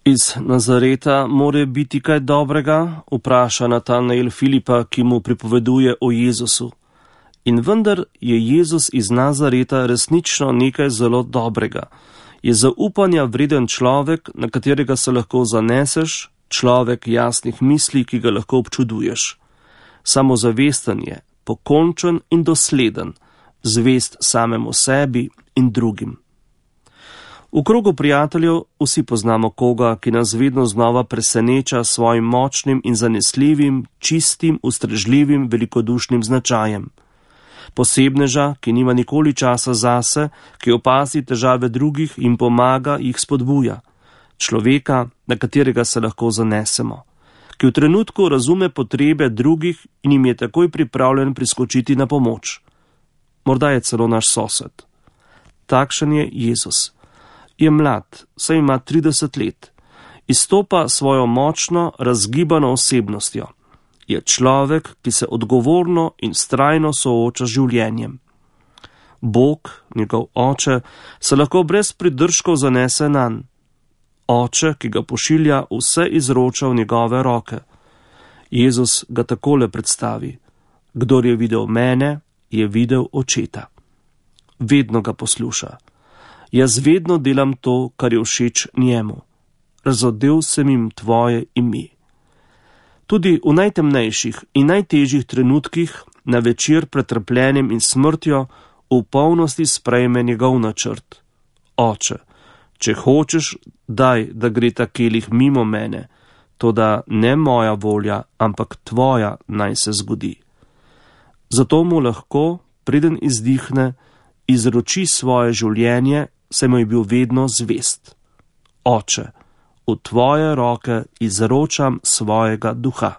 Iz Nazareta more biti kaj dobrega, vpraša Natanael Filipa, ki mu pripoveduje o Jezusu. In vendar je Jezus iz Nazareta resnično nekaj zelo dobrega. Je zaupanja vreden človek, na katerega se lahko zaneseš, človek jasnih misli, ki ga lahko občuduješ. Samozavesten je, pokončen in dosleden, zvest samemu sebi in drugim. V krogu prijateljev vsi poznamo koga, ki nas vedno znova preseneča s svojim močnim in zanesljivim, čistim, ustrežljivim, velikodušnim značajem. Posebneža, ki nima nikoli časa zase, ki opazi težave drugih in pomaga, jih spodbuja. Človeka, na katerega se lahko zanesemo, ki v trenutku razume potrebe drugih in jim je takoj pripravljen priskočiti na pomoč. Morda je celo naš sosed. Takšen je Jezus. Je mlad, saj ima 30 let. Izstopa svojo močno, razgibano osebnostjo. Je človek, ki se odgovorno in vztrajno sooča z življenjem. Bog, njegov oče, se lahko brez pridržkov zanese nanj. Oče, ki ga pošilja, vse izroča v njegove roke. Jezus ga takole predstavi: kdor je videl mene, je videl očeta. Vedno ga posluša. Jaz vedno delam to, kar je všeč njemu. Razodel sem jim tvoje ime. Tudi v najtemnejših in najtežjih trenutkih, na večer pred trpljenjem in smrtjo, v polnosti sprejme njegov načrt. Oče, če hočeš, daj, da gre ta kelih mimo mene, toda ne moja volja, ampak tvoja naj se zgodi. Zato mu lahko, preden izdihne, izroči svoje življenje, saj mu je bil vedno zvest. Oče, v tvoje roke izročam svojega duha.